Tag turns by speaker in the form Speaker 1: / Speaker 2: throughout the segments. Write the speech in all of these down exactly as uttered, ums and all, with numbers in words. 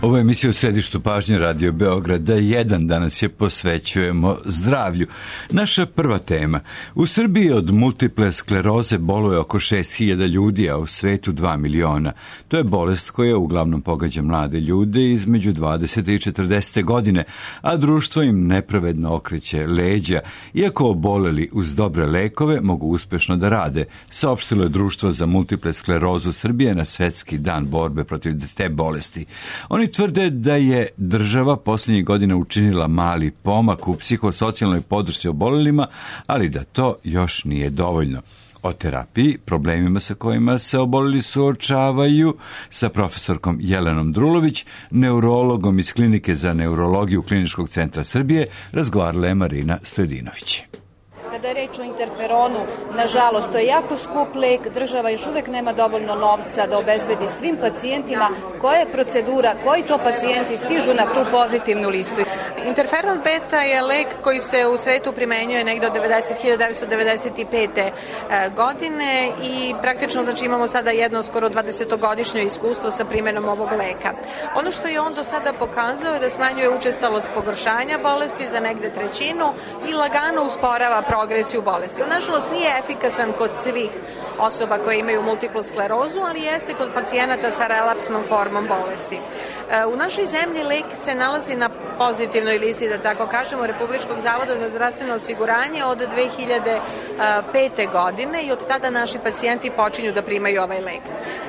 Speaker 1: Ovo je emisija u središtu pažnje Radio Beograda jedan. Danas je posvećujemo zdravlju. Naša prva tema. U Srbiji od multiple skleroze boluje oko šest hiljada ljudi, a u svetu dva miliona. To je bolest koja uglavnom pogađa mlade ljude između dvadesete i četrdesete godine, a društvo im nepravedno okreće leđa. Iako oboleli uz dobre lekove mogu uspešno da rade, saopštilo je Društvo za multiple sklerozu Srbije na Svetski dan borbe protiv te bolesti. Oni tvrde da je država posljednjih godina učinila mali pomak u psihosocijalnoj podršci obolelima, ali da to još nije dovoljno. O terapiji, problemima sa kojima se oboleli suočavaju, sa profesorkom Jelenom Drulović, neurologom iz Klinike za neurologiju Kliničkog centra Srbije, razgovarala je Marina Sledinović.
Speaker 2: Kada je reč o interferonu, nažalost, to je jako skup lek, država još uvek nema dovoljno novca da obezbedi svim pacijentima koja je procedura, koji to pacijenti stižu na tu pozitivnu listu.
Speaker 3: Interferon beta je lek koji se u svetu primenjuje negde od hiljadu devetsto devedeset pete. godine i praktično znači imamo sada jedno skoro dvadesetogodišnje iskustvo sa primenom ovog leka. Ono što je on do sada pokazao je da smanjuje učestalost pogoršanja bolesti za negde trećinu i lagano usporava progresiju bolesti. On nažalost nije efikasan kod svih osoba koje imaju multiplu sklerozu, ali jeste kod pacijenata sa relapsnom formom bolesti. U našoj zemlji lek se nalazi na pozitivnoj listi, da tako kažemo, Republičkog zavoda za zdravstveno osiguranje od dve hiljade pete. godine i od tada naši pacijenti počinju da primaju ovaj lek.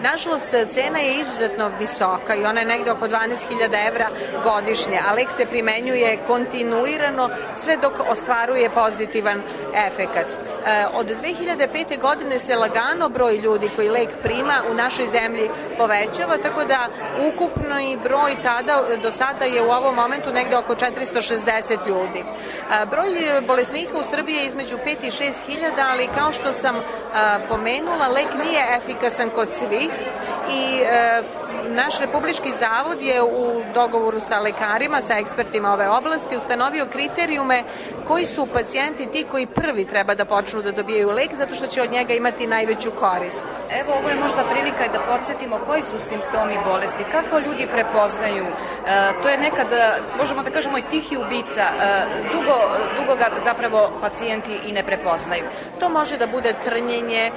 Speaker 3: Nažalost, cena je izuzetno visoka i ona je negde oko dvanaest hiljada evra godišnje, a lek se primenjuje kontinuirano sve dok ostvaruje pozitivan efekat. Od dve hiljade pete. godine se lagano broj ljudi koji lek prima u našoj zemlji povećava, tako da ukupni broj tada do sada je u ovom momentu negde oko četiristo šezdeset ljudi. Broj bolesnika u Srbiji je između pet i šest hiljada, ali kao što sam pomenula, lek nije efikasan kod svih i naš Republički zavod je u dogovoru sa lekarima, sa ekspertima ove oblasti ustanovio kriterijume koji su pacijenti ti koji prvi treba da počnu da dobijaju lek zato što će od njega imati najveću korist.
Speaker 2: Evo, ovo je možda prilika da podsjetimo koji su simptomi bolesti, kako ljudi prepoznaju. E, to je nekad, možemo da kažemo, i tihi ubica. E, dugo, dugo ga zapravo pacijenti i ne prepoznaju.
Speaker 3: To može da bude trnjenje,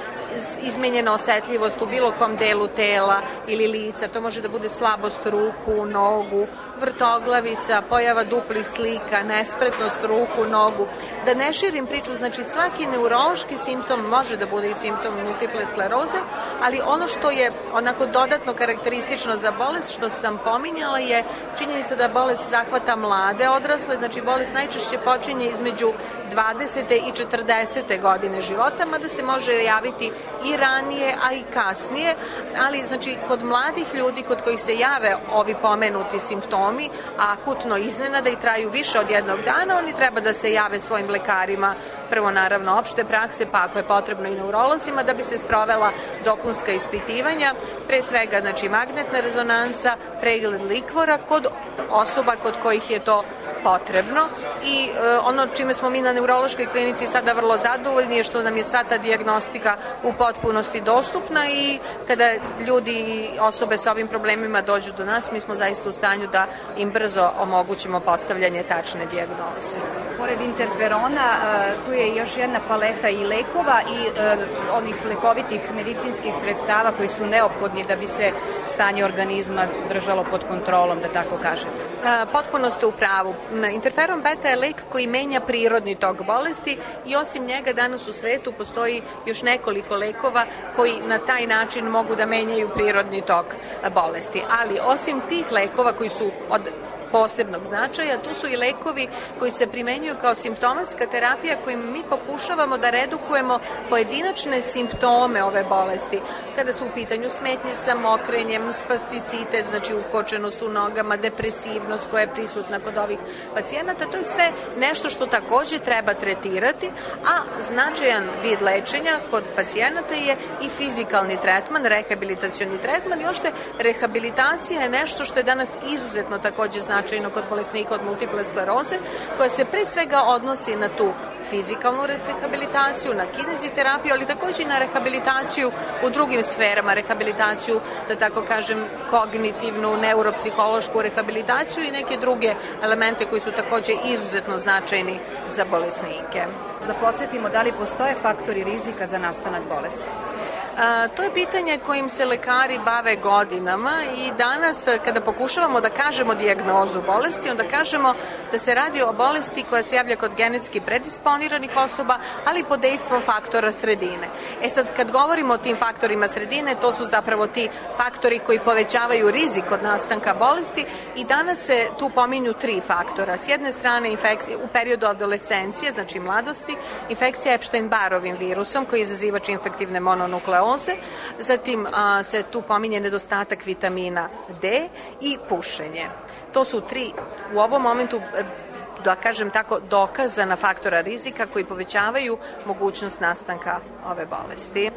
Speaker 3: izmenjena osetljivost u bilo kom delu tela ili lica, to može da bude slabost ruku, nogu, vrtoglavica, pojava duplih slika, nespretnost ruku, nogu. Da ne širim priču, znači svaki neurološki simptom može da bude i simptom multiple skleroze, ali ono što je onako dodatno karakteristično za bolest, što sam pominjala, je činjenica da bolest zahvata mlade odrasle, znači bolest najčešće počinje između dvadesete i četrdesete godine života, mada se može javiti i ranije, a i kasnije, ali znači kod mladih ljudi kod kojih se jave ovi pomenuti simptomi, a akutno iznenada i traju više od jednog dana, oni treba da se jave svojim lekarima, prvo naravno opšte prakse, pa ako je potrebno i neurolozima, da bi se sprovela dopunska ispitivanja, pre svega znači magnetna rezonanca, pregled likvora kod osoba kod kojih je to potrebno i e, ono čime smo mi na neurološkoj klinici sada vrlo zadovoljni je što nam je sva ta dijagnostika u potpunosti dostupna i kada ljudi i osobe sa ovim problemima dođu do nas, mi smo zaista u stanju da im brzo omogućimo postavljanje tačne dijagnoze.
Speaker 2: Pored interferona, tu je još jedna paleta i lekova i e, onih lekovitih medicinskih sredstava koji su neophodni da bi se stanje organizma držalo pod kontrolom, da tako kažem.
Speaker 3: E, potpuno ste u pravu. Interferon beta je lek koji menja prirodni tok bolesti i osim njega danas u svetu postoji još nekoliko lekova koji na taj način mogu da menjaju prirodni tok bolesti. Ali osim tih lekova koji su od posebnog značaja, tu su i lekovi koji se primenjuju kao simptomatska terapija kojim mi pokušavamo da redukujemo pojedinačne simptome ove bolesti. Kada su u pitanju smetnje sa mokrenjem, spasticitet, znači ukočenost u nogama, depresivnost koja je prisutna kod ovih pacijenata, to je sve nešto što takođe treba tretirati, a značajan vid lečenja kod pacijenata je i fizikalni tretman, rehabilitacioni tretman i ošte rehabilitacija je nešto što je danas izuzetno takođe značajno značajno kod bolesnika od multiple skleroze, koja se pre svega odnosi na tu fizikalnu rehabilitaciju, na kineziterapiju, ali takođe i na rehabilitaciju u drugim sferama, rehabilitaciju, da tako kažem, kognitivnu, neuropsihološku rehabilitaciju i neke druge elemente koji su takođe izuzetno značajni za bolesnike.
Speaker 2: Da podsjetimo, da li postoje faktori rizika za nastanak bolesti?
Speaker 3: A, to je pitanje kojim se lekari bave godinama i danas kada pokušavamo da kažemo dijagnozu bolesti, onda kažemo da se radi o bolesti koja se javlja kod genetski predisponiranih osoba, ali pod dejstvom faktora sredine. E sad, kad govorimo o tim faktorima sredine, to su zapravo ti faktori koji povećavaju rizik od nastanka bolesti i danas se tu pominju tri faktora. S jedne strane, infekcije u periodu adolescencije, znači mladosti, infekcija Epstein-Barovim virusom koji je izazivač infektivne mononukleoze. Zatim a, se tu pominje nedostatak vitamina D i pušenje. To su tri u ovom momentu, da kažem tako, dokazana faktora rizika koji povećavaju mogućnost nastanka ove bolesti.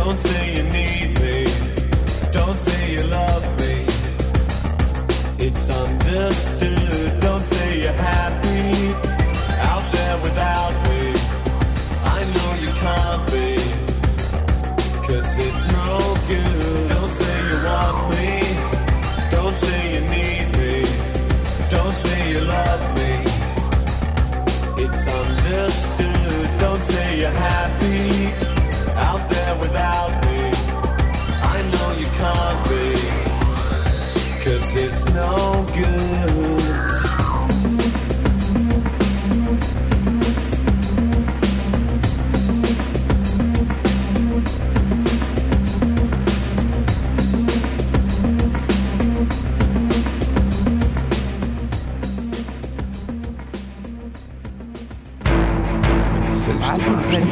Speaker 4: Don't say you need me, don't say you love me. It's understood. Don't say you're happy out there without me. I know you can't be, 'cause it's no good. Don't say you want me, don't say you need me, don't say you love me. It's understood. Don't say you're happy out there without me. I know you can't be, 'cause it's no good.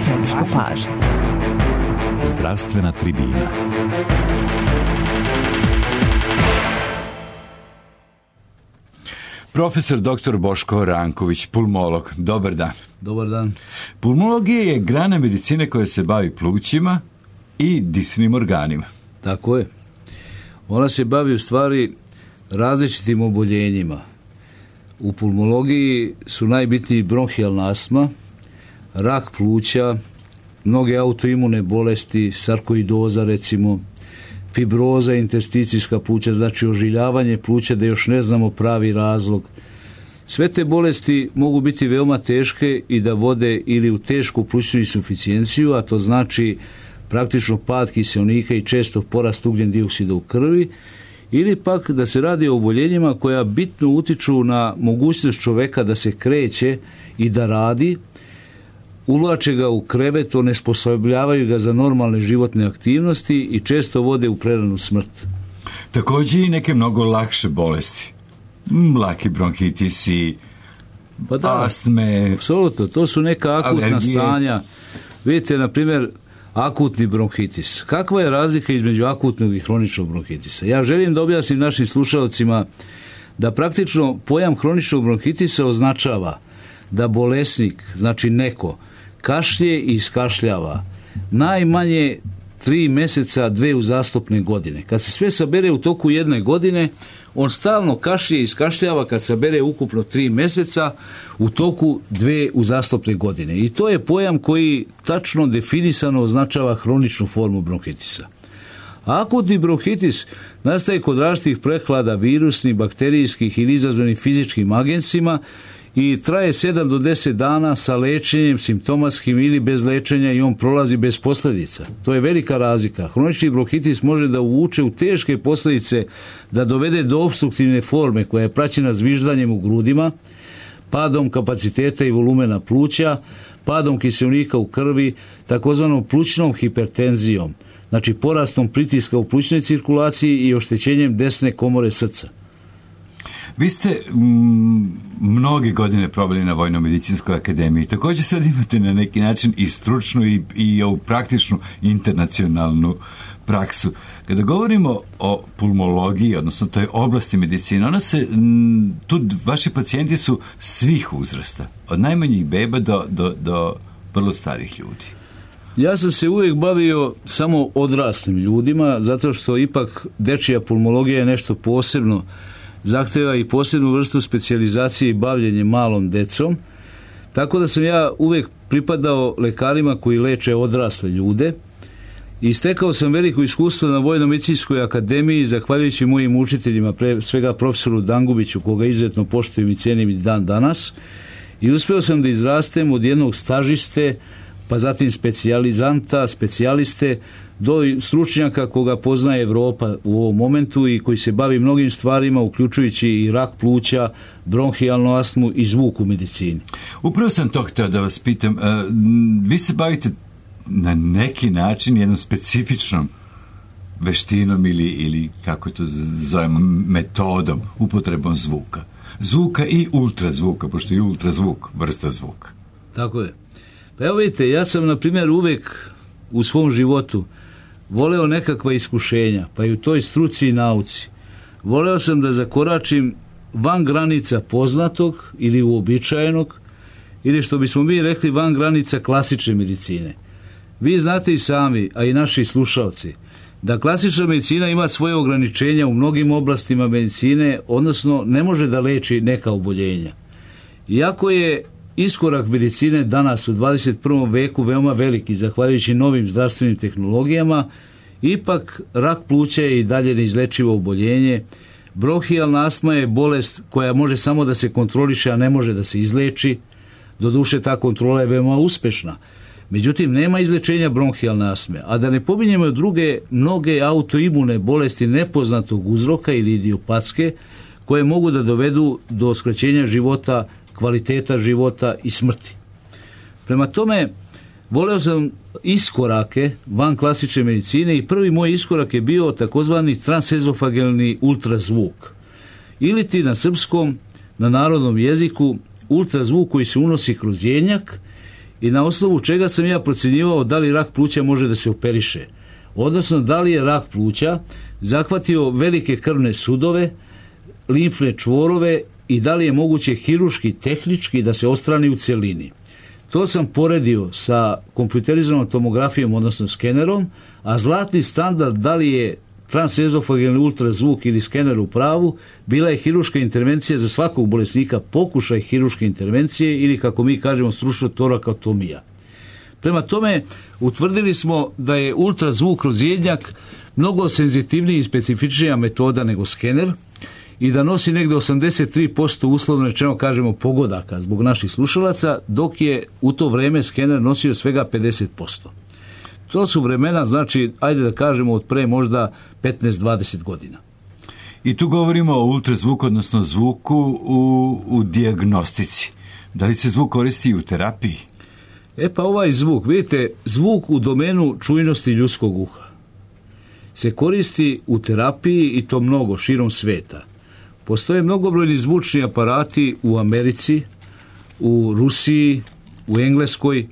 Speaker 5: Središte pažnje.
Speaker 6: Zdravstvena tribina.
Speaker 1: Profesor doktor Boško Ranković, pulmolog. Dobar dan.
Speaker 7: Dobar dan.
Speaker 1: Pulmologija je grana medicine koja se bavi plućima i disnim organima.
Speaker 7: Tako je. Ona se bavi u stvari različitim oboljenjima. U pulmologiji su najbitniji bronhijalna astma, rak pluća, mnoge autoimune bolesti, sarkoidoza recimo, fibroza, intersticijska pluća, znači ožiljavanje pluća da još ne znamo pravi razlog. Sve te bolesti mogu biti veoma teške i da vode ili u tešku plućnu insuficijenciju, a to znači praktično pad kiseonika i često porast ugljen dioksida u krvi, ili pak da se radi o oboljenjima koja bitno utiču na mogućnost čoveka da se kreće i da radi, uvlače ga u krevet, onesposobljavaju ga za normalne životne aktivnosti i često vode u preranu smrt.
Speaker 1: Također i neke mnogo lakše bolesti. Mm, laki bronhitisi,
Speaker 7: pa da,
Speaker 1: astme.
Speaker 7: Apsolutno, to su neka akutna alergije. Stanja. Vidite, na primjer, akutni bronhitis. Kakva je razlika između akutnog i hroničnog bronhitisa? Ja želim da objasnim našim slušalcima da praktično pojam hroničnog bronhitisa označava da bolesnik, znači neko, kašlje i iskašljava najmanje tri mjeseca, dve uzastopne godine. Kad se sve sabere u toku jedne godine, on stalno kašlje i iskašljava kad sabere ukupno tri mjeseca u toku dve uzastopne godine. I to je pojam koji tačno definisano označava hroničnu formu bronhitisa. Akutni bronhitis nastaje kod različitih prehlada virusnih, bakterijskih ili izazvanih fizičkim agensima i traje sedam do deset dana sa lečenjem simptomatskim ili bez lečenja i on prolazi bez posljedica. To je velika razlika. Hronični bronhitis može da uvuče u teške posljedice, da dovede do opstruktivne forme koja je praćena zviždanjem u grudima, padom kapaciteta i volumena pluća, padom kiseonika u krvi, takozvanom plućnom hipertenzijom, znači porastom pritiska u plućnoj cirkulaciji i oštećenjem desne komore srca.
Speaker 1: Vi ste m, mnoge godine probali na Vojno-medicinskoj akademiji. Također sad imate na neki način i stručnu i, i ovu praktičnu internacionalnu praksu. Kada govorimo o pulmologiji, odnosno toj oblasti medicine, ona se, m, tu vaši pacijenti su svih uzrasta, od najmanjih beba do, do, do vrlo starih ljudi.
Speaker 7: Ja sam se uvijek bavio samo odraslim ljudima, zato što ipak dečija pulmologija je nešto posebno, zahtjeva i posebnu vrstu specijalizacije i bavljenje malom decom, tako da sam ja uvijek pripadao lekarima koji leče odrasle ljude i stekao sam veliko iskustvo na Vojno-medicinskoj akademiji zahvaljujući mojim učiteljima, pre svega profesoru Dangubiću, koga izuzetno poštujem i cijenim i dan danas, i uspio sam da izrastem od jednog stažiste, pa zatim specijalizanta, specijaliste, do stručnjaka koga poznaje Europa u ovom momentu i koji se bavi mnogim stvarima, uključujući i rak pluća, bronhijalnu astmu i zvuk u medicini.
Speaker 1: Upravo sam to htio da vas pitam. Vi se bavite na neki način jednom specifičnom veštinom ili, ili kako to zovemo, metodom, upotrebom zvuka. Zvuka i ultrazvuka, pošto je ultrazvuk vrsta zvuka.
Speaker 7: Tako je. Pa evo vidite, ja sam na primjer uvijek u svom životu voleo nekakva iskušenja, pa i u toj struci i nauci. Voleo sam da zakoračim van granica poznatog ili uobičajenog, ili što bismo mi rekli van granica klasične medicine. Vi znate i sami, a i naši slušalci, da klasična medicina ima svoje ograničenja u mnogim oblastima medicine, odnosno ne može da leči neka oboljenja. Iako je iskorak medicine danas u dvadeset prvom veku veoma veliki, zahvaljujući novim zdravstvenim tehnologijama, ipak rak pluća je i dalje neizlečivo oboljenje. Bronhijalna astma je bolest koja može samo da se kontroliše, a ne može da se izleči. Doduše, ta kontrola je veoma uspešna. Međutim, nema izlečenja bronhijalne astme, a da ne pominjemo druge mnoge autoimune bolesti nepoznatog uzroka ili idiopatske, koje mogu da dovedu do skraćenja života, kvaliteta života i smrti. Prema tome, voleo sam iskorake van klasične medicine i prvi moj iskorak je bio takozvani transezofagelni ultrazvuk. Ili ti na srpskom, na narodnom jeziku, ultrazvuk koji se unosi kroz jenjak i na osnovu čega sam ja procjenjivao da li rak pluća može da se operiše. Odnosno, da li je rak pluća zahvatio velike krvne sudove, limfne čvorove i da li je moguće hirurški, tehnički da se odstrani u cjelini. To sam poredio sa kompjuterizovanom tomografijom, odnosno skenerom, a zlatni standard da li je transezofagelni ultrazvuk ili skener u pravu, bila je hirurška intervencija za svakog bolesnika, pokušaj hirurške intervencije ili, kako mi kažemo stručno, torakotomija. Prema tome, utvrdili smo da je ultrazvuk kroz jednjak mnogo senzitivniji i specifičnija metoda nego skener i da nosi negdje osamdeset tri posto uslovno rečeno kažemo pogodaka zbog naših slušalaca, dok je u to vrijeme skener nosio svega pedeset posto. To su vremena, znači, ajde da kažemo od pre možda petnaest do dvadeset godina.
Speaker 1: I tu govorimo o ultrazvuku, odnosno zvuku u, u dijagnostici. Da li se zvuk koristi i u terapiji?
Speaker 7: E pa ovaj zvuk, vidite, zvuk u domenu čujnosti ljudskog uha se koristi u terapiji i to mnogo, širom sveta. Postoje mnogobrojni zvučni aparati u Americi, u Rusiji, u Engleskoj,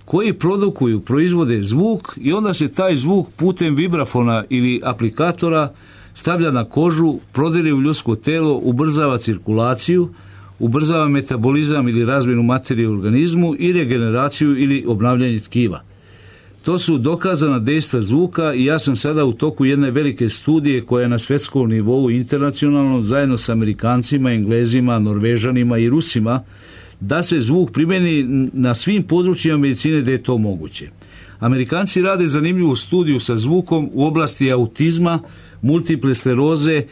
Speaker 7: koji produkuju, proizvode zvuk i onda se taj zvuk putem vibrafona ili aplikatora stavlja na kožu, prodire u ljudsko telo, ubrzava cirkulaciju, ubrzava metabolizam ili razmjenu materije u organizmu i regeneraciju ili obnavljanje tkiva. To su dokazana dejstva zvuka i ja sam sada u toku jedne velike studije koja je na svjetskom nivou internacionalno zajedno sa Amerikancima, Englezima, Norvežanima i Rusima da se zvuk primjeni na svim područjima medicine gdje je to moguće. Amerikanci rade zanimljivu studiju sa zvukom u oblasti autizma, multiple skleroze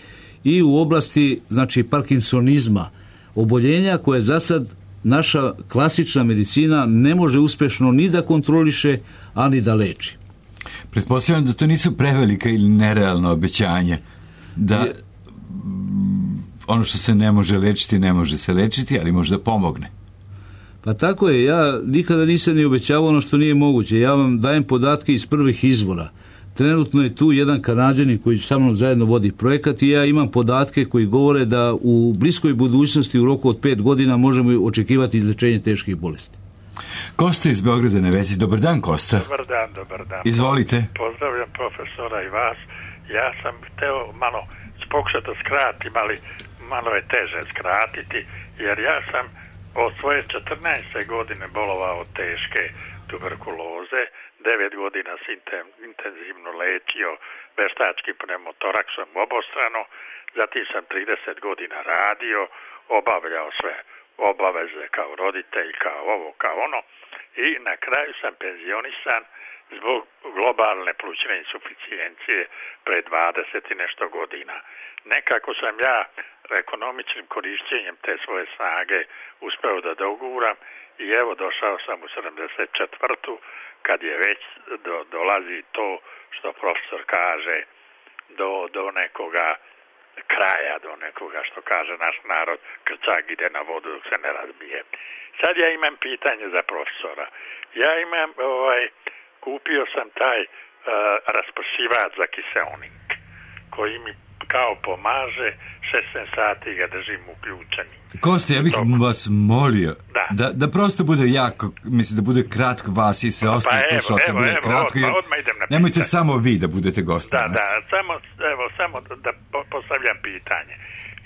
Speaker 7: i u oblasti, znači, parkinsonizma, oboljenja koje za sad naša klasična medicina ne može uspješno ni da kontroliše, a ni da leči.
Speaker 1: Pretpostavljam da to nisu prevelika ili nerealno obećanje, da je, ono što se ne može lečiti, ne može se lečiti, ali može da pomogne.
Speaker 7: Pa tako je, ja nikada nisam ni obećavao ono što nije moguće. Ja vam dajem podatke iz prvih izvora. Trenutno je tu jedan Kanađanin koji sa mnom zajedno vodi projekat i ja imam podatke koji govore da u bliskoj budućnosti u roku od pet godina možemo očekivati izlečenje teških bolesti.
Speaker 1: Kosta iz Beograda na vezi. Dobar dan, Kosta.
Speaker 8: Dobar dan, dobar dan.
Speaker 1: Izvolite.
Speaker 8: Pozdravljam profesora i vas. Ja sam hteo malo pokušati da skratim, ali malo je teže skratiti, jer ja sam od svoje četrnaeste godine bolovao od teške tuberkuloze. devet godina sam intenzivno lečio veštačkim pneumotoraksom obostrano, zatim sam trideset godina radio, obavljao sve obaveze kao roditelj, kao ovo, kao ono, i na kraju sam penzionisan zbog globalne plućne insuficijencije pre dvadeset i nešto godina. Nekako sam ja ekonomičnim korišćenjem te svoje snage uspeo da doguram i evo došao sam u sedamdeset četvrtu kad je već do, dolazi to što profesor kaže do, do nekoga kraja, do nekoga što kaže naš narod, krčak ide na vodu dok se ne razbije. Sad ja imam pitanje za profesora. Ja imam, ovaj, kupio sam taj uh, raspršivač za kiseonik koji mi kao pomaže, šesnaest sati ga držim uključeni.
Speaker 1: Kosta, ja bih
Speaker 8: Dok...
Speaker 1: vas molio
Speaker 8: da.
Speaker 1: Da, da prosto bude jako, mislim da bude kratko vas i sve ostali
Speaker 8: pa
Speaker 1: slušalci, da bude
Speaker 8: evo,
Speaker 1: kratko, jer
Speaker 8: odmah idem na
Speaker 1: nemojte
Speaker 8: pitanje.
Speaker 1: samo vi da budete gost
Speaker 8: Da,
Speaker 1: danas.
Speaker 8: da, samo, evo, samo da postavljam pitanje.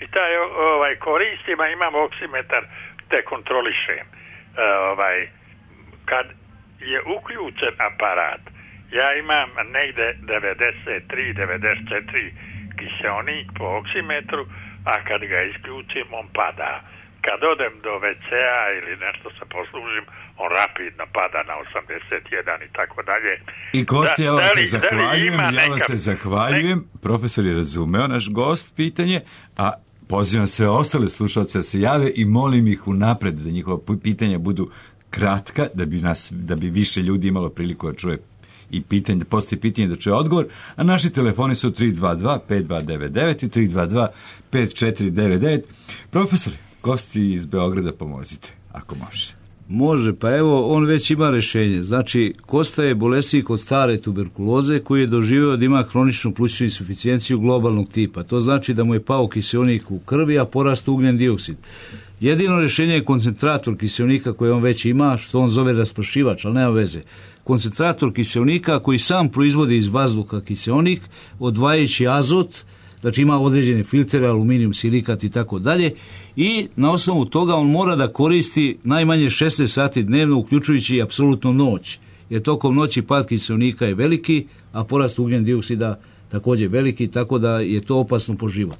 Speaker 8: I taj ovaj, koristim, a imam oksimetar, te kontrolišem. Ovaj, kad je uključen aparat. Ja imam negde devedeset tri devedeset četiri kiseonik po oksimetru, a kad ga isključim on pada. Kad odem do ve ce a ili nešto se poslužim, on rapidno pada na osamdeset jedan i tako dalje.
Speaker 1: I Kosti, ja vam
Speaker 8: Da li-
Speaker 1: se
Speaker 8: da li
Speaker 1: zahvaljujem,
Speaker 8: ima
Speaker 1: ja vam
Speaker 8: neka-
Speaker 1: se zahvaljujem. Profesor je razumeo naš gost pitanje, a pozivam sve ostale slušalce da se jave i molim ih unapred da njihova pitanja budu kratka, da bi, nas, da bi više ljudi imalo priliku da čuje i pitanje, da postoji pitanje da čuje odgovor, a naši telefoni su tri dva dva pet dva devet devet i tri dva dva pet četiri devet devet. Profesor, Kosti iz Beograda, pomozite, ako može.
Speaker 7: Može, pa evo, on već ima rješenje. Znači, Kosta je bolesnik od stare tuberkuloze koji je doživio da ima hroničnu plućnu insuficijenciju globalnog tipa. To znači da mu je pao kiseonik u krvi, a porast ugljen dioksid. Jedino rješenje je koncentrator kiseonika koji on već ima, što on zove raspršivač, ali nema veze. Koncentrator kiseonika koji sam proizvodi iz vazduha kiseonik, odvajajući azot, znači ima određene filtere, aluminijum, silikat i tako dalje, i na osnovu toga on mora da koristi najmanje šesnaest sati dnevno, uključujući i apsolutno noć, jer tokom noći pad kiseonika je veliki, a porast ugljen dioksida također veliki, tako da je to opasno po život.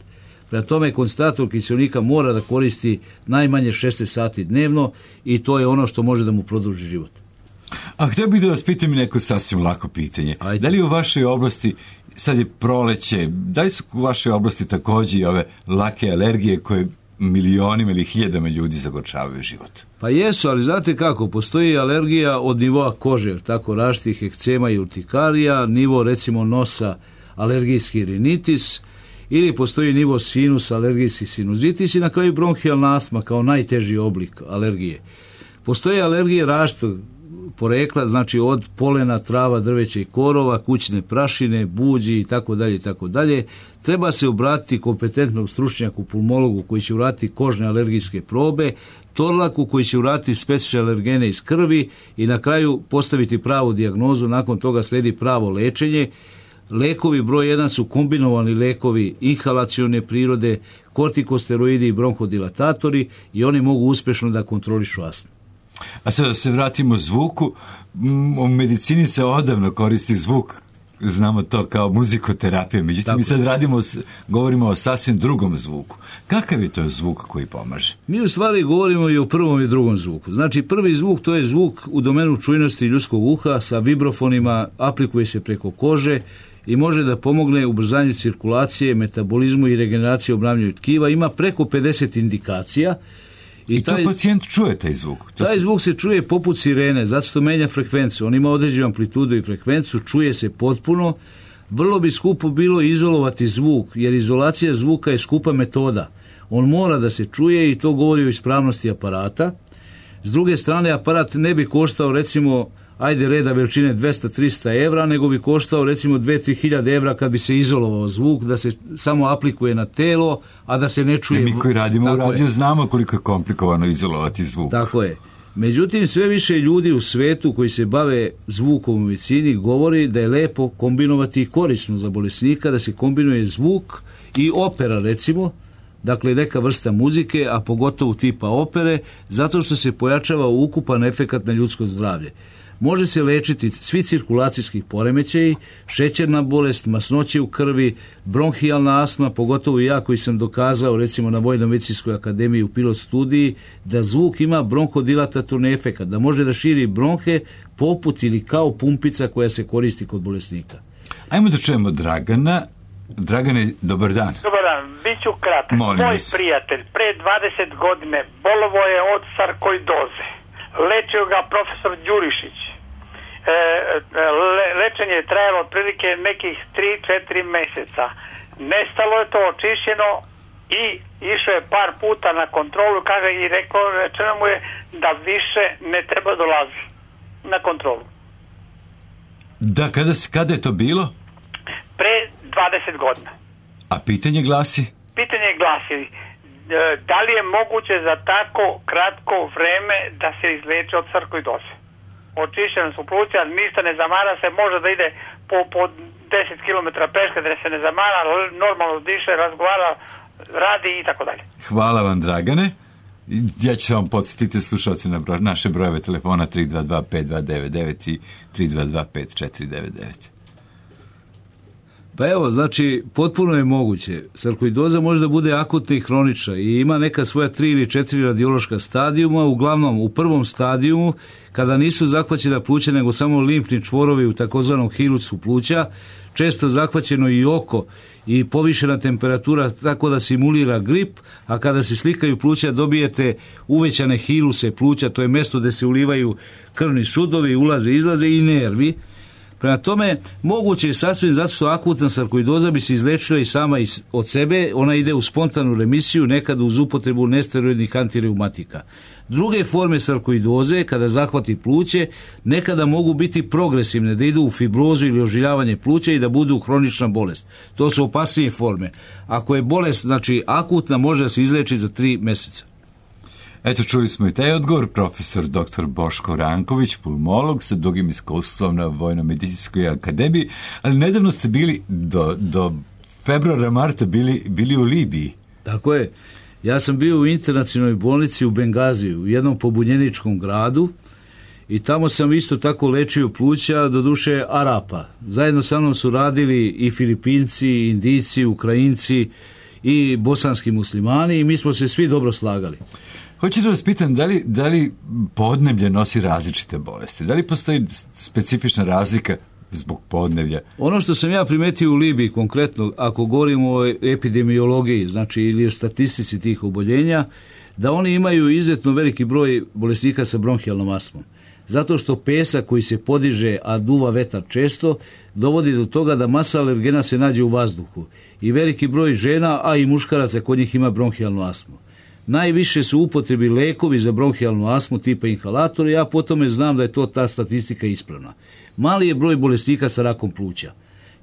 Speaker 7: Prema tome, koncentrator kiseonika mora da koristi najmanje šesnaest sati dnevno i to je ono što može da mu produži život.
Speaker 1: A htio bih da vas pitam i neko sasvim lako pitanje.
Speaker 7: Ajde.
Speaker 1: Da li u vašoj oblasti, sad je proleće, da li su u vašoj oblasti također i ove lake alergije koje milionima ili hiljadama ljudi zagorčavaju život?
Speaker 7: Pa jesu, ali znate kako, postoji alergija od nivoa kože, tako različitih ekcema i urtikarija, nivo recimo nosa, alergijski rinitis, ili postoji nivo sinus, alergijski sinuzitis i na kraju bronhijalna astma kao najteži oblik alergije. Postoje alergije različitog porekla, znači od polena, trava, drveća i korova, kućne prašine, buđi i tako dalje i tako dalje. Treba se obratiti kompetentnom stručnjaku, pulmologu koji će uraditi kožne alergijske probe, torlaku koji će uraditi specifične alergene iz krvi i na kraju postaviti pravu dijagnozu, nakon toga slijedi pravo lečenje. Lekovi broj jedan su kombinovani lekovi inhalacione prirode, kortikosteroidi i bronhodilatatori i oni mogu uspješno da kontrolišu astmu.
Speaker 1: A sad da se vratimo zvuku, m, u medicini se odavno koristi zvuk, znamo to kao muzikoterapija, međutim
Speaker 7: Tako
Speaker 1: mi sad
Speaker 7: je.
Speaker 1: radimo, s- govorimo o sasvim drugom zvuku. Kakav je to zvuk koji pomaže?
Speaker 7: Mi u stvari govorimo i o prvom i drugom zvuku. Znači prvi zvuk to je zvuk u domenu čujnosti ljudskog uha sa vibrofonima, aplikuje se preko kože i može da pomogne ubrzanju cirkulacije, metabolizmu i regeneraciji obnavljanju tkiva. Ima preko pedeset indikacija.
Speaker 1: I, I to
Speaker 7: taj,
Speaker 1: pacijent čuje taj zvuk. To
Speaker 7: taj
Speaker 1: se-
Speaker 7: zvuk se čuje poput sirene, zato što menja frekvenciju. On ima određenu amplitudu i frekvenciju, čuje se potpuno. Vrlo bi skupo bilo izolovati zvuk, jer izolacija zvuka je skupa metoda. On mora da se čuje i to govori o ispravnosti aparata. S druge strane, aparat ne bi koštao recimo, ajde reda veličine dvesta do trista evra, nego bi koštao recimo dve do tri hiljade evra kad bi se izolovao zvuk, da se samo aplikuje na telo, a da se ne čuje.
Speaker 1: Jer mi koji radimo u
Speaker 7: Tako je.
Speaker 1: radiju znamo koliko je komplikovano izolovati zvuk.
Speaker 7: Tako je. Međutim, sve više ljudi u svetu koji se bave zvukom u medicini govori da je lepo kombinovati i korisno za bolesnika, da se kombinuje zvuk i opera recimo, dakle neka vrsta muzike, a pogotovo tipa opere, zato što se pojačava ukupan efekat na ljudsko zdravlje. Može se lečiti svi cirkulacijski poremećaji, šećerna bolest, masnoće u krvi, bronhijalna astma, pogotovo i ja koji sam dokazao recimo na Vojno-medicinskoj akademiji u pilot studiji da zvuk ima bronhodilatatorni efekat, da može da širi bronhe poput ili kao pumpica koja se koristi kod bolesnika.
Speaker 1: Ajmo da čujemo Dragana. Dragane, dobar dan.
Speaker 9: Dobar dan, bit ću kratak.
Speaker 1: Molim
Speaker 9: Moj
Speaker 1: vas.
Speaker 9: prijatelj pre dvadeset godine bolovo je od sarkoidoze. Lečio ga profesor Đurišić. E, le, lečenje je trajalo otprilike nekih tri do četiri meseca. Nestalo je to očišćeno i išao je par puta na kontrolu, kaže, i rekao, rečeno mu je da više ne treba dolazi na kontrolu.
Speaker 1: Da, kada, se- kada je to bilo?
Speaker 9: Pre dvadeset godina.
Speaker 1: A pitanje glasi?
Speaker 9: Pitanje glasi, e, da li je moguće za tako kratko vreme da se izleče od sarkoidoze? Očišćene su pluća, ništa ne zamara se, može da ide po, po deset kilometara peške, da se ne zamara, normalno diše, razgovara, radi i tako dalje.
Speaker 1: Hvala vam, Dragane. Ja ću vam podsjetiti slušalci na broj, naše brojeve telefona tri dva dva pet dva devet devet i tri dva dva pet četiri devet devet.
Speaker 7: Pa evo, znači, potpuno je moguće. Sarkoidoza može da bude akutna i hronična i ima neka svoja tri ili četiri radiološka stadijuma. Uglavnom, u prvom stadijumu, kada nisu zahvaćena pluća, nego samo limfni čvorovi u takozvanom hilusu pluća, često zahvaćeno i oko i povišena temperatura tako da simulira grip, a kada se slikaju pluća dobijete uvećane hiluse pluća, to je mjesto gdje se ulivaju krvni sudovi, ulaze, izlaze i nervi. Prema tome, moguće je sasvim zato što akutna sarkoidoza bi se izlečila i sama od sebe, ona ide u spontanu remisiju, nekada uz upotrebu nesteroidnih antireumatika. Druge forme sarkoidoze, kada zahvati pluće, nekada mogu biti progresivne, da idu u fibrozu ili ožiljavanje pluća i da budu hronična bolest. To su opasnije forme. Ako je bolest, znači akutna, može da se izleči za tri mjeseca.
Speaker 1: Eto, čuli smo i taj odgovor, profesor doktor Boško Ranković, pulmolog sa dugim iskustvom na Vojno-medicinskoj akademiji, ali nedavno ste bili do, do februara, marta bili, bili u Libiji.
Speaker 7: Tako je. Ja sam bio u internacionalnoj bolnici u Bengaziju, u jednom pobunjeničkom gradu, i tamo sam isto tako lečio pluća, doduše Arapa. Zajedno sa mnom su radili i Filipinci, i Indijci, Ukrajinci i bosanski muslimani i mi smo se svi dobro slagali.
Speaker 1: Hoću da vas pitam, da li, da li podneblje nosi različite bolesti? Da li postoji specifična razlika zbog podneblja?
Speaker 7: Ono što sam ja primetio u Libiji konkretno, ako govorimo o epidemiologiji, znači ili o statistici tih oboljenja, da oni imaju izuzetno veliki broj bolesnika sa bronhijalnom astmom. Zato što pesak koji se podiže, a duva vetar često, dovodi do toga da masa alergena se nađe u vazduhu. I veliki broj žena, a i muškaraca kod njih ima bronhijalnu astmu. Najviše su upotrebi lekovi za bronhijalnu astmu tipa inhalatori, ja po tome znam da je to ta statistika ispravna. Mali je broj bolesnika sa rakom pluća.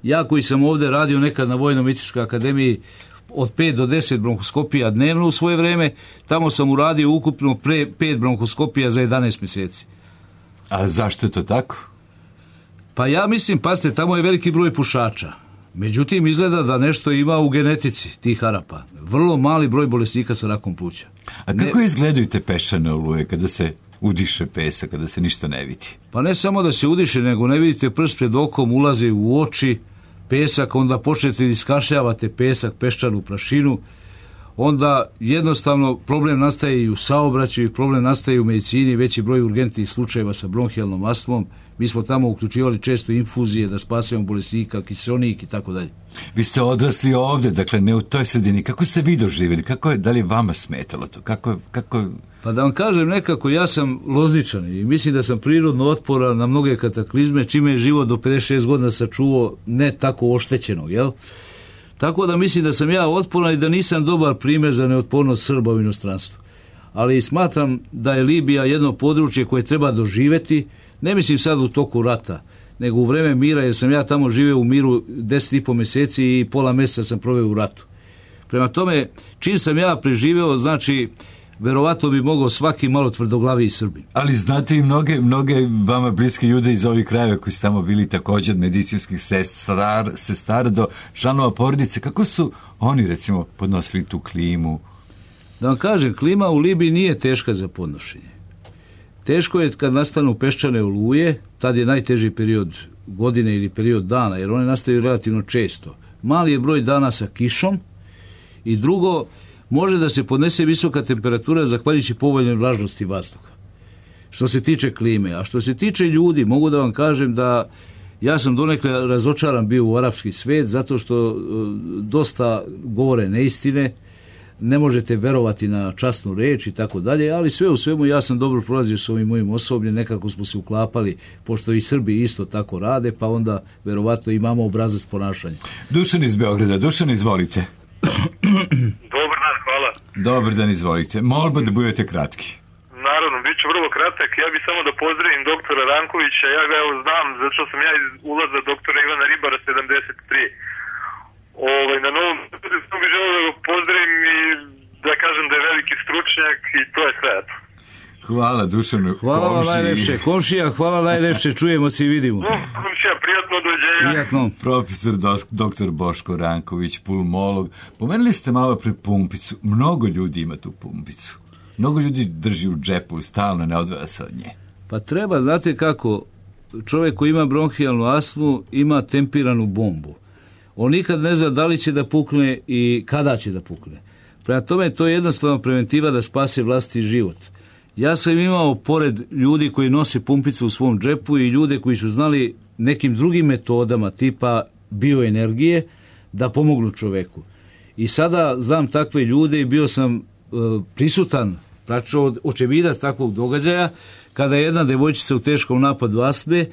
Speaker 7: Ja koji sam ovdje radio nekad na Vojno-medicinskoj akademiji od pet do deset bronhoskopija dnevno u svoje vreme, tamo sam uradio ukupno pre pet bronhoskopija za jedanaest mjeseci.
Speaker 1: A zašto je to tako?
Speaker 7: Pa ja mislim, pazite, tamo je veliki broj pušača. Međutim, izgleda da nešto ima u genetici tih Arapa. Vrlo mali broj bolesnika sa rakom pluća.
Speaker 1: A kako ne... izgledaju te peščane oluje kada se udiše pesak, kada se ništa ne vidi?
Speaker 7: Pa ne samo da se udiše, nego ne vidite prst pred okom, ulazi u oči pesak, onda počnete da iskašljavate pesak, peščanu prašinu, onda jednostavno problem nastaje i u saobraćaju, problem nastaje i u medicini, veći broj urgentnih slučajeva sa bronhijalnom astmom. Mi smo tamo uključivali često infuzije da spasujemo bolesnika, kiseonik i tako dalje.
Speaker 1: Vi ste odrasli ovdje, dakle ne u toj sredini. Kako ste vi doživjeli? Kako je, da li je vama smetalo to? Kako, kako...
Speaker 7: Pa da vam kažem nekako, ja sam Lozničan i mislim da sam prirodno otporan na mnoge kataklizme, čime je život do pedeset šest godina sačuvao ne tako oštećenog, jel? Tako da mislim da sam ja otporan i da nisam dobar primjer za neotpornost Srba u inostranstvu. Ali smatram da je Libija jedno područje koje treba doživjeti, ne mislim sad u toku rata, nego u vreme mira, jer sam ja tamo živio u miru deset i po mjeseci i pola mjeseca sam proveo u ratu. Prema tome, čim sam ja preživeo, znači, verovatno bi mogao svaki malo tvrdoglaviji Srbin.
Speaker 1: Ali znate i mnoge, mnoge vama bliske ljude iz ovih krajeva koji su tamo bili također od medicinskih sestar, sestara do članova porodice. Kako su oni, recimo, podnosili tu klimu?
Speaker 7: Da vam kažem, klima u Libiji nije teška za podnošenje. Teško je kad nastanu peščane oluje, tad je najteži period godine ili period dana, jer one nastaju relativno često. Mali je broj dana sa kišom i drugo, može da se podnese visoka temperatura zahvaljujući povoljnoj vlažnosti vazduha. Što se tiče klime, a što se tiče ljudi, mogu da vam kažem da ja sam donekle razočaran bio u arapski svijet, zato što dosta govore neistine, ne možete verovati na časnu reč i tako dalje, ali sve u svemu ja sam dobro prolazio s ovim mojim osobljem, nekako smo se uklapali, pošto i Srbi isto tako rade, pa onda verovatno imamo obrazac ponašanja.
Speaker 1: Dušan iz Beograda, Dušan, izvolite.
Speaker 10: Dobar dan, hvala.
Speaker 1: Dobar dan, izvolite. Molba da budete kratki.
Speaker 10: Naravno, bit ću vrlo kratak. Ja bih samo da pozdravim doktora Rankovića. Ja ga evo znam, zato što sam ja iz ulaza doktora Ivana Ribara sedamdeset tri. Ovaj, na novom sam bih želeo da ga pozdravim i da kažem da je veliki stručnjak i to je sve.
Speaker 1: Hvala, Dušanu.
Speaker 7: Hvala vam najlepše. Komšija, hvala najlepše. Čujemo se i vidimo.
Speaker 10: No, komšija, prijatno dođenja.
Speaker 7: Prijatno.
Speaker 1: Profesor doktor Boško Ranković, pulmolog. Pomenuli ste malo pre pumpicu. Mnogo ljudi ima tu pumpicu. Mnogo ljudi drži u džepu, stalno ne odvaja se od nje.
Speaker 7: Pa treba, znate kako, čovjek koji ima bronhijalnu astmu ima tempiranu bombu. On nikad ne zna da li će da pukne i kada će da pukne. Prema tome, to je jednostavno preventiva da spase vlastiti život. Ja sam imao pored ljudi koji nose pumpicu u svom džepu i ljude koji su znali nekim drugim metodama tipa bioenergije da pomognu čoveku. I sada znam takve ljude i bio sam e, prisutan, praktično očevidac takvog događaja, kada je jedna devojčica u teškom napadu astme,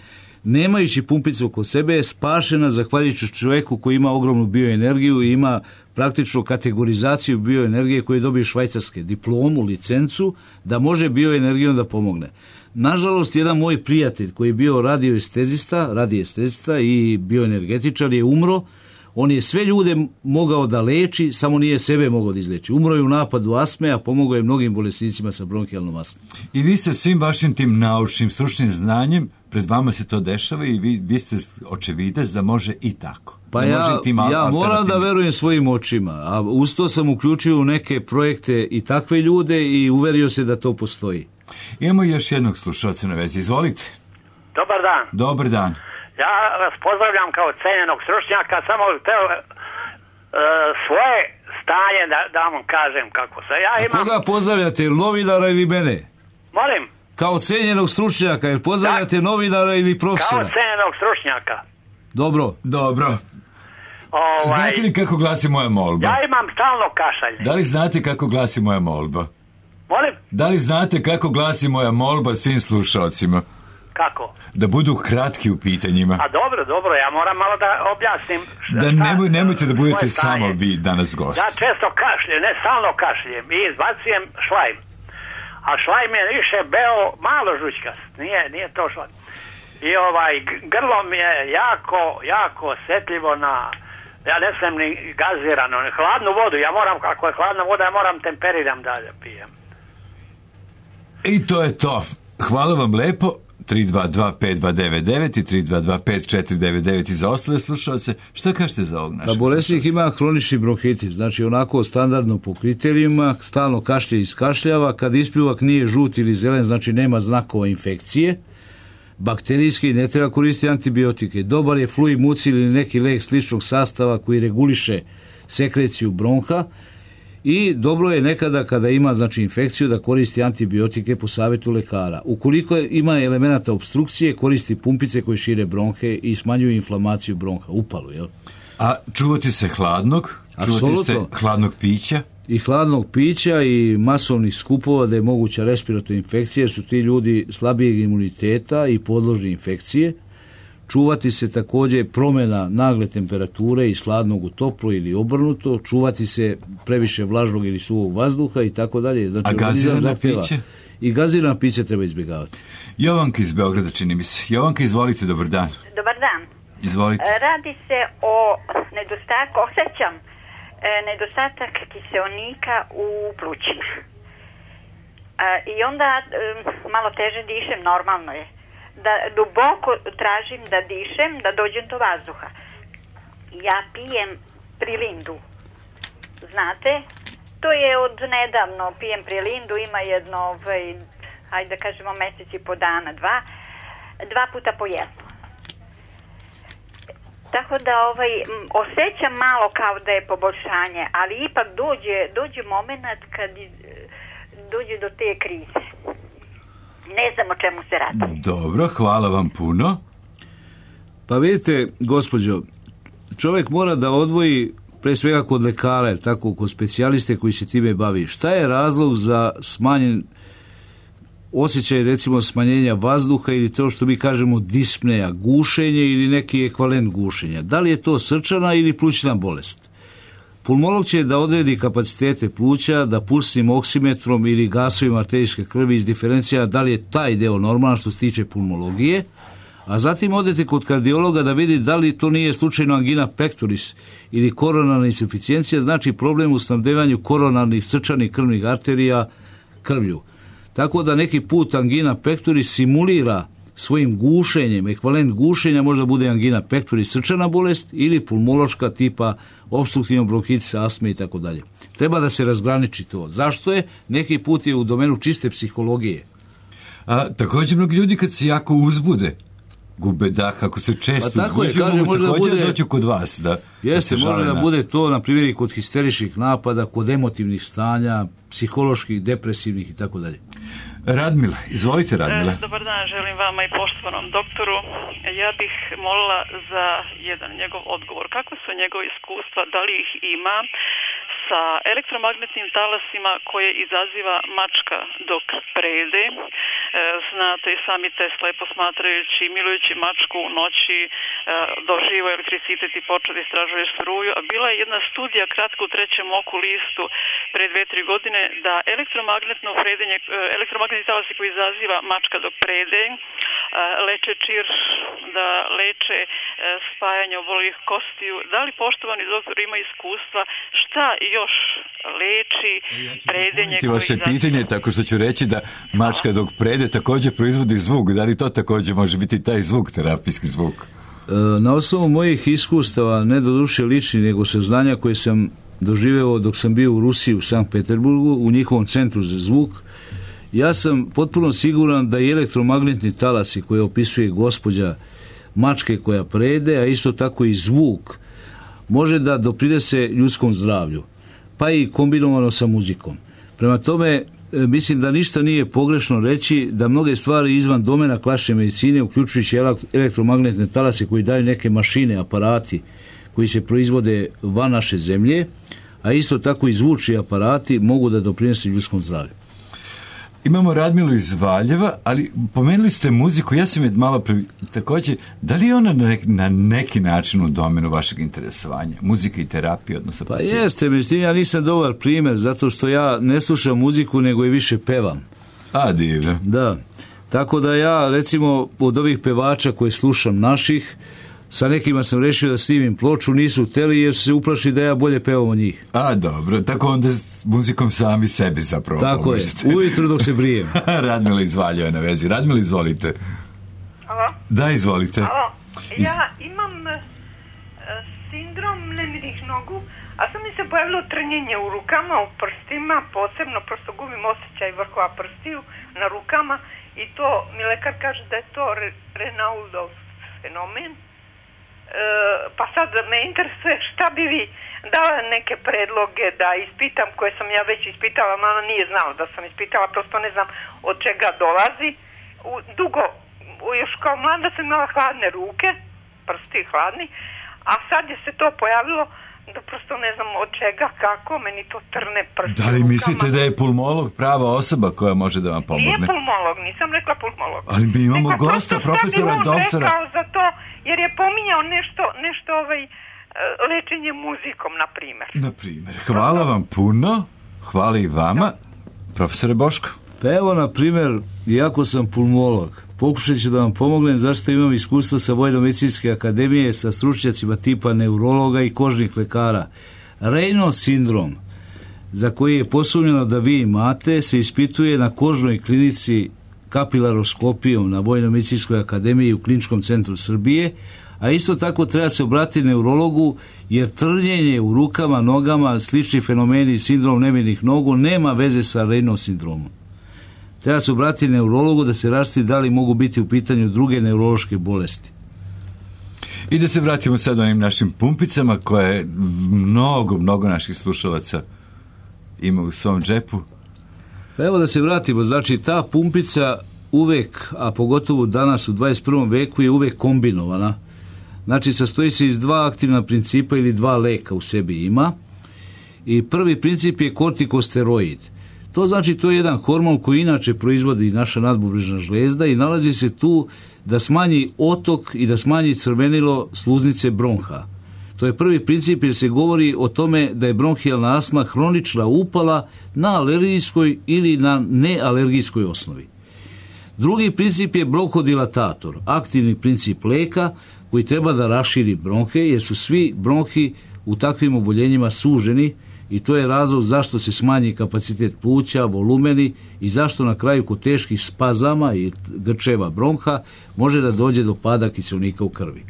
Speaker 7: nemajući pumpicu oko sebe, je spašena zahvaljujući čovjeku koji ima ogromnu bioenergiju i ima praktično kategorizaciju bioenergije koju dobije švajcarske, diplomu, licencu, da može bioenergijom da pomogne. Nažalost, jedan moj prijatelj koji je bio radioestezista, radioestezista i bioenergetičar je umro. On je sve ljude mogao da leči, samo nije sebe mogao da izleči. Umro je u napadu astme, a pomogao je mnogim bolesnicima sa bronhijalnom astmom.
Speaker 1: I vi sa svim vašim tim naučnim, stručnim znanjem, pred vama se to dešava i vi, vi ste očevidac da može i tako.
Speaker 7: Pa
Speaker 1: da
Speaker 7: ja, ja moram da verujem svojim očima, a uz to sam uključio u neke projekte i takve ljude i uverio se da to postoji.
Speaker 1: Imamo još jednog slušalca na vezi. Izvolite.
Speaker 11: Dobar dan.
Speaker 1: Dobar dan.
Speaker 11: Ja vas pozdravljam kao cenjenog stručnjaka, samo teo e, svoje stanje da, da vam kažem kako se. Ja imam...
Speaker 7: A koga pozdravljate, novinara ili mene?
Speaker 11: Molim?
Speaker 7: Kao cenjenog stručnjaka, jer pozdravljate da, novinara ili profesora?
Speaker 11: Kao cenjenog stručnjaka.
Speaker 7: Dobro.
Speaker 1: Dobro. Ovaj, znate li kako glasi moja molba?
Speaker 11: Ja imam stalno kašalje.
Speaker 1: Da li znate kako glasi moja molba?
Speaker 11: Molim?
Speaker 1: Da li znate kako glasi moja molba svim slušalcima?
Speaker 11: Kako?
Speaker 1: Da budu kratki u pitanjima.
Speaker 11: A dobro, dobro, ja moram malo da objasnim. Šta,
Speaker 1: da nemoj, nemojte da budete samo vi danas gost.
Speaker 11: Ja često kašljem, ne stalno kašljem i izbacujem šlajm. A šlajm je više beo malo žućkast, nije, nije to šlajm. I ovaj, grlo mi je jako, jako osjetljivo na, ja ne sam ni gazirano, ni hladnu vodu, ja moram, ako je hladna voda, ja moram temperiram dalje pijem.
Speaker 1: I to je to. Hvala vam lepo. tri dva dva pet dva devet devet i tri dva dva pet četiri devet devet i za ostale slušalce. Šta kažete za ovog našeg?
Speaker 7: Pa bolesnik ima hronični bronhitis, znači onako standardno po kriterijima, stalno kašlje i iskašljava, kad ispljuvak nije žut ili zelen, znači nema znakova infekcije, bakterijski, ne treba koristiti antibiotike. Dobar je fluimucil ili neki lek sličnog sastava koji reguliše sekreciju bronha. I dobro je nekada kada ima znači infekciju da koristi antibiotike po savjetu lekara. Ukoliko ima elemenata obstrukcije, koristi pumpice koje šire bronhe i smanjuju inflamaciju bronha, upalu, jel?
Speaker 1: A čuvati se hladnog? Čuvati se hladnog pića?
Speaker 7: I hladnog pića i masovnih skupova da je moguća respiratorna infekcija, jer su ti ljudi slabijeg imuniteta i podložni infekcije. Čuvati se također promjena nagle temperature iz hladnog u toplo ili obrnuto, čuvati se previše vlažnog ili suvog vazduha i tako dalje. Znači,
Speaker 1: a gazirana piće?
Speaker 7: I gazirana piće treba izbjegavati.
Speaker 1: Jovanka iz Beograda, čini mi se. Jovanka, izvolite, dobar dan.
Speaker 12: Dobar dan.
Speaker 1: Izvolite.
Speaker 12: Radi se o nedostatku, osjećam nedostatak kiseonika u plućima. I onda malo teže dišem, normalno je. Da duboko tražim da dišem, da dođem do vazduha. Ja pijem prilindu. Znate, to je od nedavno, pijem prilindu, ima jedno, ovaj, hajde da kažemo mjesec i po dana, dva, dva puta po jedno. Tako da ovaj, osjećam malo kao da je poboljšanje, ali ipak dođe, dođe moment kad dođe do te krize. Ne znam o čemu se radi.
Speaker 1: Dobro, hvala vam puno.
Speaker 7: Pa vidite, gospođo, čovjek mora da odvoji pre svega kod lekara, tako kod specijaliste koji se time bavi. Šta je razlog za smanjen osjećaj, recimo, smanjenja vazduha ili to što mi kažemo dispneja, gušenje ili neki ekvalent gušenja? Da li je to srčana ili plućna bolest? Pulmolog će da odredi kapacitete pluća, da pulsnim oksimetrom ili gasovima arterijske krvi izdiferencija da li je taj deo normalan što se tiče pulmologije, a zatim odete kod kardiologa da vidi da li to nije slučajno angina pectoris ili koronarna insuficijencija, znači problem u snabdevanju koronarnih srčanih krvnih arterija krvlju. Tako da neki put angina pectoris simulira svojim gušenjem, ekvivalent gušenja možda bude angina pectoris, srčana bolest, ili pulmološka tipa opstruktivnog bronhitisa, astme i tako dalje. Treba da se razgraniči to. Zašto je? Neki put je u domenu čiste psihologije.
Speaker 1: A također mnogi ljudi kad se jako uzbude, gube dah, ako se često
Speaker 7: pa tako
Speaker 1: uzbuđu,
Speaker 7: je, kaže,
Speaker 1: mogu
Speaker 7: možda
Speaker 1: također
Speaker 7: bude,
Speaker 1: doći kod vas. Da,
Speaker 7: jeste,
Speaker 1: da
Speaker 7: može da
Speaker 1: na...
Speaker 7: bude to, na primjer, i kod histeričnih napada, kod emotivnih stanja, psiholoških, depresivnih i tako dalje.
Speaker 1: Radmila, izvolite Radmila.
Speaker 13: E, dobar dan, želim vama i poštovanom doktoru. Ja bih molila za jedan njegov odgovor. Kako su njegove iskustva, da li ih ima sa elektromagnetnim talasima koje izaziva mačka dok prede? E, znate i sami Tesla je posmatrajući, milujući mačku u noći e, doživo elektricitet i počeo da istražuje struju. A bila je jedna studija kratka u trećem oku listu pre dve, tri godine da elektromagnetno predenje, elektromagnetni talasi koji izaziva mačka dok prede leče čir, da leče spajanje obolelih kostiju. Da li poštovani doktor ima iskustva šta još leči predenje?
Speaker 1: Ja vaše izaziva... pitanje tako što ću reći da mačka dok prede također proizvodi zvuk. Da li to također može biti taj zvuk, terapijski zvuk?
Speaker 7: Na osnovu mojih iskustava, ne do duše lični, nego saznanja koje sam doživeo dok sam bio u Rusiji, u Sankt Peterburgu, u njihovom centru za zvuk, ja sam potpuno siguran da i elektromagnetni talasi koje opisuje gospođa mačke koja prede, a isto tako i zvuk, može da doprinese ljudskom zdravlju, pa i kombinovano sa muzikom. Prema tome, mislim da ništa nije pogrešno reći da mnoge stvari izvan domena klasične medicine, uključujući elektromagnetne talase koji daju neke mašine, aparati koji se proizvode van naše zemlje, a isto tako i zvučni aparati mogu da doprinese ljudskom zdravlju.
Speaker 1: Imamo Radmilu iz Valjeva, ali pomenuli ste muziku, ja sam je malo pre... također, da li je ona na neki, na neki način u domenu vašeg interesovanja? Muzika i terapija, odnosno...
Speaker 7: Pa jeste, međutim, ja nisam dobar primjer, zato što ja ne slušam muziku, nego i više pevam.
Speaker 1: A, divno.
Speaker 7: Da, tako da ja, recimo, od ovih pevača koje slušam naših, sa nekima sam rešio da snimim ploču, nisu hteli jer su se uplašili da ja bolje pevam od njih.
Speaker 1: A, dobro, tako onda s muzikom sami sebi zapravo
Speaker 7: tako
Speaker 1: pomožete.
Speaker 7: Je, ujutru dok se brijem.
Speaker 1: Radmila iz Valjeva na vezi. Radmila, izvolite.
Speaker 14: Alo?
Speaker 1: Da, izvolite.
Speaker 14: Alo, ja imam uh, sindrom nemirnih nogu, a sad mi se pojavilo trnjenje u rukama, u prstima, posebno, prosto gubim osjećaj vrhova prstiju na rukama i to mi lekar kaže da je to re, Renaudov fenomen. E, pa sad me interesuje šta bi vi dala neke predloge da ispitam koje sam ja već ispitala, mama nije znala da sam ispitala, prosto ne znam od čega dolazi. U, dugo, još kao mlada sam imala hladne ruke, prsti hladni, a sad je se to pojavilo da prosto ne znam od čega, kako, meni to trne prsti.
Speaker 1: Da li mislite da je pulmolog prava osoba koja može da vam pomogne?
Speaker 14: Nije pulmolog, nisam rekla pulmolog.
Speaker 1: Ali mi imamo
Speaker 14: Neka
Speaker 1: gosta, profesora,
Speaker 14: doktora.
Speaker 1: doktora.
Speaker 14: Rekao za to, jer je pominjao nešto, nešto ovaj, lečenje muzikom, na primjer.
Speaker 1: Na primjer. Hvala vam puno, hvala i vama. Profesore Boško.
Speaker 7: Pa evo, na primjer, iako sam pulmolog, pokušat ću da vam pomognem zašto imam iskustvo sa Vojno-medicinske akademije sa stručnjacima tipa neurologa i kožnih lekara. Raynaud sindrom, za koji je posumnjeno da vi imate, se ispituje na kožnoj klinici kapilaroskopijom na Vojno-medicinskoj akademiji u Kliničkom centru Srbije, a isto tako treba se obratiti neurologu jer trnjenje u rukama, nogama, slični fenomeni sindrom nemirnih nogu nema veze sa Raynaud sindromom. Treba se obratiti neurologu da se rašti da li mogu biti u pitanju druge neurološke bolesti.
Speaker 1: I da se vratimo sad onim našim pumpicama koje mnogo, mnogo naših slušalaca ima u svom džepu.
Speaker 7: Pa evo da se vratimo, znači ta pumpica uvek, a pogotovo danas u dvadeset prvom veku je uvek kombinovana. Znači sastoji se iz dva aktivna principa ili dva leka u sebi ima. I prvi princip je kortikosteroid. To znači to je jedan hormon koji inače proizvodi naša nadbubrežna žlezda i nalazi se tu da smanji otok i da smanji crvenilo sluznice bronha. To je prvi princip jer se govori o tome da je bronhijalna astma hronična upala na alergijskoj ili na nealergijskoj osnovi. Drugi princip je bronhodilatator, aktivni princip leka koji treba da raširi bronhe jer su svi bronhi u takvim oboljenjima suženi i to je razlog zašto se smanji kapacitet pluća, volumeni i zašto na kraju kod teških spazama i grčeva bronha može da dođe do pada kiseonika u krvi.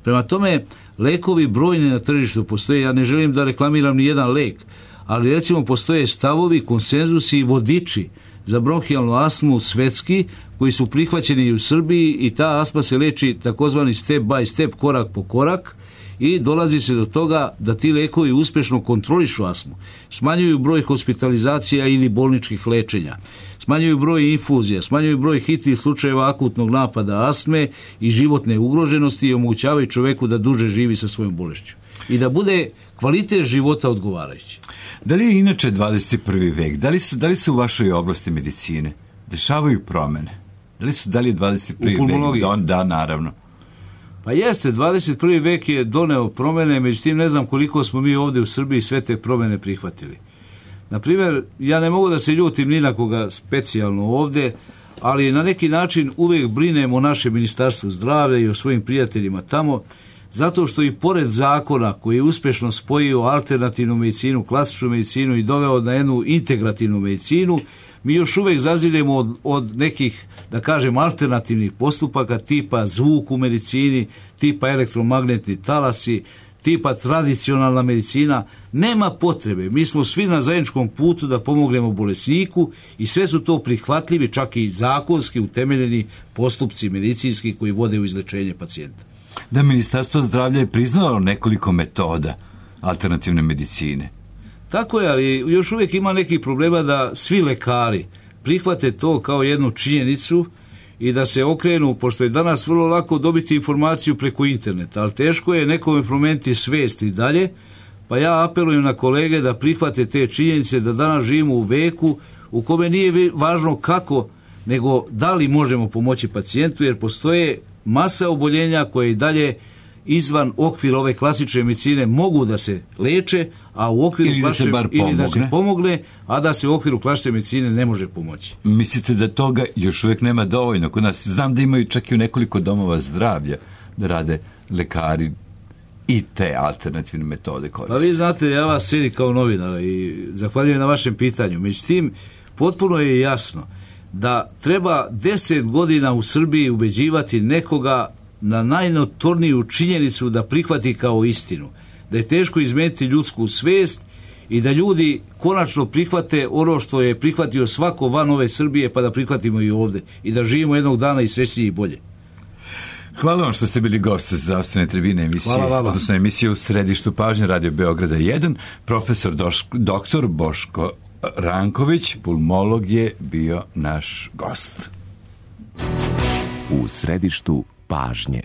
Speaker 7: Prema tome, lekovi brojni na tržištu postoje, ja ne želim da reklamiram ni jedan lek, ali recimo postoje stavovi, konsenzusi i vodiči za bronhijalnu astmu svetski koji su prihvaćeni i u Srbiji i ta astma se leči takozvani step by step, korak po korak, i dolazi se do toga da ti lekovi uspješno kontrolišu astmu, smanjuju broj hospitalizacija ili bolničkih lečenja, smanjuju broj infuzija, smanjuju broj hitnih slučajeva akutnog napada astme i životne ugroženosti i omogućavaju čoveku da duže živi sa svojom bolešću i da bude kvalitet života odgovarajući.
Speaker 1: Da li je inače dvadeset prvi vek, da li su, da li su u vašoj oblasti medicine dešavaju promene? Da li, su, da li je dvadeset prvi vek? Da, da, naravno.
Speaker 7: Pa jeste, dvadeset prvi vek je doneo promene, međutim ne znam koliko smo mi ovdje u Srbiji sve te promene prihvatili. Naprimjer, ja ne mogu da se ljutim ni na koga specijalno ovdje, ali na neki način uvijek brinem o našem ministarstvu zdravlja i o svojim prijateljima tamo, zato što i pored zakona koji je uspješno spojio alternativnu medicinu, klasičnu medicinu i doveo na jednu integrativnu medicinu, mi još uvijek zaziremo od, od nekih, da kažem, alternativnih postupaka tipa zvuk u medicini, tipa elektromagnetni talasi, tipa tradicionalna medicina. Nema potrebe, mi smo svi na zajedničkom putu da pomognemo bolesniku i sve su to prihvatljivi, čak i zakonski utemeljeni postupci medicinski koji vode u izlečenje pacijenta.
Speaker 1: Da, Ministarstvo zdravlja je priznalo nekoliko metoda alternativne medicine.
Speaker 7: Tako je, ali još uvijek ima nekih problema da svi lekari prihvate to kao jednu činjenicu i da se okrenu, pošto je danas vrlo lako dobiti informaciju preko interneta, ali teško je nekome promijeniti svijest i dalje, pa ja apelujem na kolege da prihvate te činjenice da danas živimo u veku u kome nije važno kako, nego da li možemo pomoći pacijentu, jer postoje masa oboljenja koje i dalje izvan okvira ove klasične medicine mogu da se leče, a u okviru
Speaker 1: ili da se bar pomogne.
Speaker 7: Ili da se pomogne, a da se u okviru klasične medicine ne može pomoći.
Speaker 1: Mislite da toga još uvijek nema dovoljno kod nas? Znam da imaju čak i u nekoliko domova zdravlja da rade lekari i te alternativne metode koriste.
Speaker 7: Pa vi znate, ja vas cijenim kao novinar i zahvaljujem na vašem pitanju. Međutim, potpuno je jasno da treba deset godina u Srbiji ubeđivati nekoga na najnotorniju činjenicu da prihvati kao istinu, da je teško izmeniti ljudsku svijest i da ljudi konačno prihvate ono što je prihvatio svako van ove Srbije, pa da prihvatimo i ovdje i da živimo jednog dana i srećnije i bolje.
Speaker 1: Hvala vam što ste bili gost zdravstvene tribine emisije, odnosno emisije u središtu pažnje Radio Beograda jedan. Profesor Doš, doktor Boško Ranković, pulmolog, je bio naš gost.
Speaker 6: U središtu pažnje.